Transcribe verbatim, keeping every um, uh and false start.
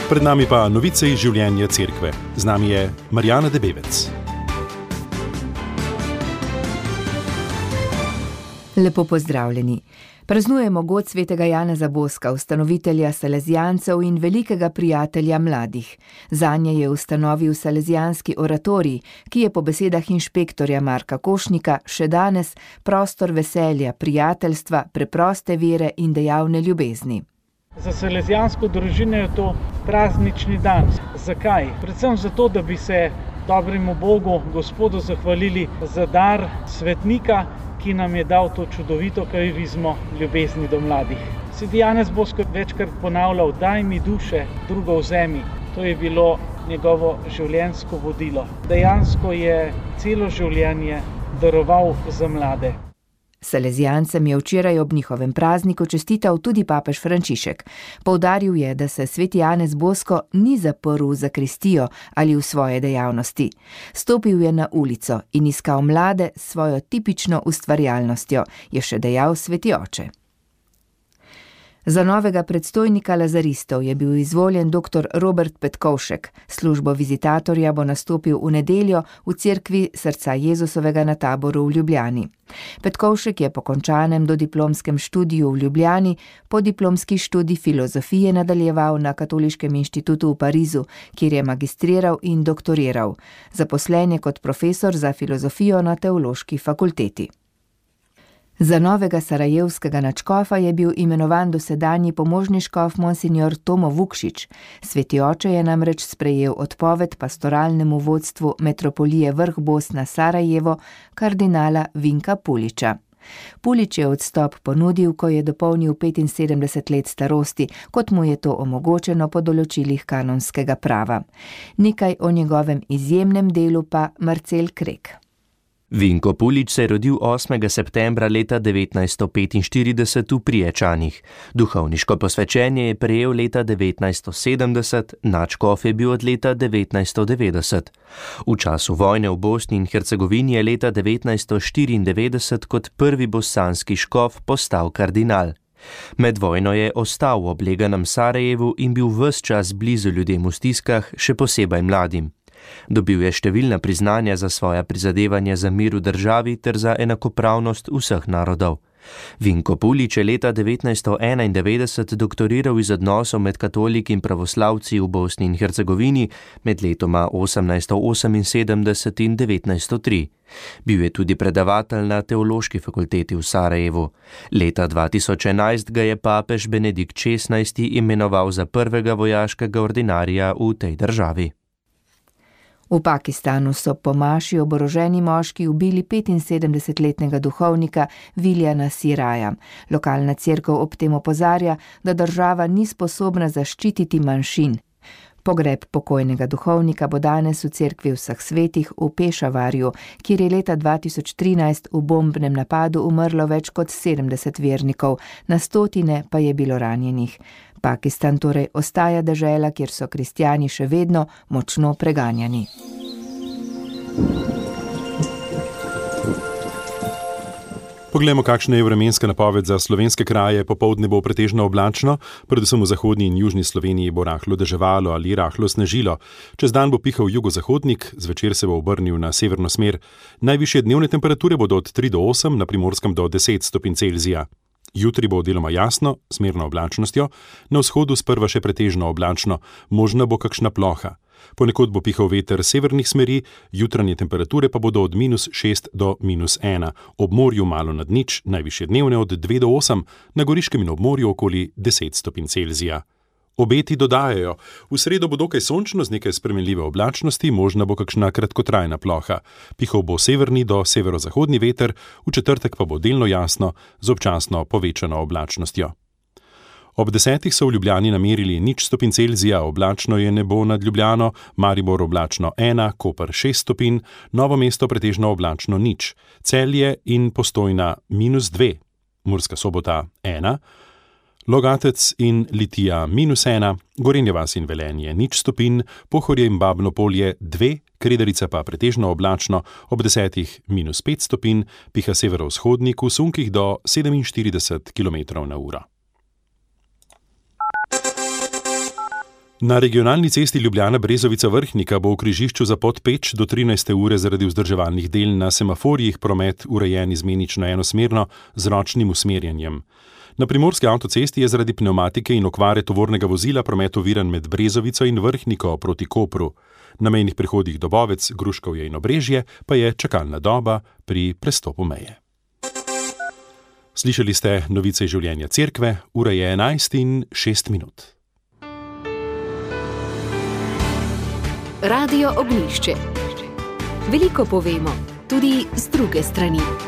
Pred nami pa novice iz življenja cerkve. Z nami je Marjana Debevec. Lepo pozdravljeni. Praznujemo god svetega Janeza Boska, ustanovitelja salezijancev in velikega prijatelja mladih. Zanje je ustanovil salezijanski oratorij, ki je po besedah inšpektorja Marka Košnika še danes prostor veselja, prijateljstva, preproste vere in dejavne ljubezni. Za salezijansko družino je to praznični dan. Zakaj? Predvsem zato, da bi se dobremu Bogu, Gospodu, zahvalili za dar svetnika, ki nam je dal to čudovito karizmo ljubezni do mladih. Sveti Janez Bosko večkrat ponavljal: daj mi duše, drugo vzemi. To je bilo njegovo življenjsko vodilo. Dejansko je celo življenje daroval za mlade. Salezijancem je včeraj ob njihovem prazniku čestital tudi papež Frančišek. Poudaril je, da se sveti Janez Bosko ni zaprl v zakristijo ali v svoje dejavnosti. Stopil je na ulico in iskal mlade s svojo tipično ustvarjalnostjo, je še dejal sveti oče. Za novega predstojnika lazaristov je bil izvoljen doktor Robert Petkovšek. Službo vizitatorja bo nastopil v nedeljo v cerkvi Srca Jezusovega na Taboru v Ljubljani. Petkovšek je po končanem dodiplomskem študiju v Ljubljani podiplomski študij filozofije nadaljeval na Katoliškem inštitutu v Parizu, kjer je magistriral in doktoriral. Zaposlen je kot profesor za filozofijo na Teološki fakulteti. Za novega sarajevskega nadškofa je bil imenovan dosedanji pomožni škof monsignor Tomo Vukšič. Sveti oče je namreč sprejel odpoved pastoralnemu vodstvu metropolije Vrh Bosna Sarajevo, kardinala Vinka Puliča. Pulič je odstop ponudil, ko je dopolnil petinsedemdeset let starosti, kot mu je to omogočeno po določilih kanonskega prava. Nekaj o njegovem izjemnem delu pa Marcel Krek. Vinko Pulič se je rodil osmega septembra leta devetnajststo petinštirideset v Priječanih. Duhovniško posvečenje je prejel leta devetnajststo sedemdeset, nadškof je bil od leta devetnajststo devetdeset. V času vojne v Bosni in Hercegovini je leta devetnajststo štiriindevetdeset kot prvi bosanski škof postal kardinal. Med vojno je ostal v obleganem Sarajevu in bil ves čas blizu ljudem v stiskah, še posebej mladim. Dobil je številna priznanja za svoja prizadevanja za mir v državi ter za enakopravnost vseh narodov. Vinko Pulič je leta devetnajststo enaindevetdeset doktoriral iz odnosov med katoliki in pravoslavci v Bosni in Hercegovini med letoma osemnajststo oseminsedemdeset in devetnajststo tri. Bil je tudi predavatelj na Teološki fakulteti v Sarajevu. Leta dva tisoč enajst ga je papež Benedikt šestnajsti imenoval za prvega vojaškega ordinarja v tej državi. V Pakistanu so po maši oboroženi moški ubili petinsedemdesetletnega duhovnika Viljana Siraja. Lokalna cerkev ob tem opozarja, da država ni sposobna zaščititi manjšin. Pogreb pokojnega duhovnika bo danes v cerkvi Vseh svetih v Pešavarju, kjer je leta dva tisoč trinajst v bombnem napadu umrlo več kot sedemdeset vernikov, na stotine pa je bilo ranjenih. Pakistan torej ostaja dežela, kjer so kristjani še vedno močno preganjani. Poglejmo, kakšna je vremenska napoved za slovenske kraje. Popoldne bo pretežno oblačno, predvsem v zahodni in južni Sloveniji bo rahlo deževalo ali rahlo snežilo. Čez dan bo pihal jugozahodnik, zvečer se bo obrnil na severno smer. Najvišje dnevne temperature bodo od tri do osem, na Primorskem do deset stopinj Celzija. Jutri bo deloma jasno, s zmerno oblačnostjo, na vzhodu sprva še pretežno oblačno, možna bo kakšna ploha. Ponekod bo pihal veter severnih smeri, jutranje temperature pa bodo od minus šest do minus ena, ob morju malo nad nič, najvišje dnevne od dve do osem, na Goriškem in ob morju okoli deset stopinj Celzija. Obeti dodajajo, v sredo bo dokaj sončno z nekaj spremenljive oblačnosti, možna bo kakšna kratkotrajna ploha. Pihal bo severni do severozahodni veter, v četrtek pa bo delno jasno z občasno povečano oblačnostjo. Ob desetih so v Ljubljani namerili nič stopinj Celzija, oblačno je nebo nad Ljubljano, Maribor oblačno ena, Koper šest stopinj, Novo mesto pretežno oblačno nič, Celje in Postojna minus dve, Murska Sobota ena, Logatec in Litija minus ena, Gorenja vas in Velenje nič stopinj, Pohorje in Babno Polje dve, Kredarica pa pretežno oblačno, ob desetih minus pet stopinj, piha severovzhodnik v sunkih do sedeminštirideset kilometrov na uro. Na regionalni cesti Ljubljana-Brezovica-Vrhnika bo v križišču Zapot Peč do trinajste ure zaradi vzdrževalnih del na semaforjih promet urejen izmenično enosmerno z ročnim usmerjanjem. Na primorski avtocesti je zaradi pnevmatike in okvare tovornega vozila promet oviran med Brezovico in Vrhniko proti Kopru. Na mejnih prehodih Dobovec, Gruškovje in Obrežje pa je čakalna doba pri prestopu meje. Slišali ste novice iz življenja cerkve, ura je enajst in šest minut. Radio Ognjišče. Veliko povemo, tudi z druge strani.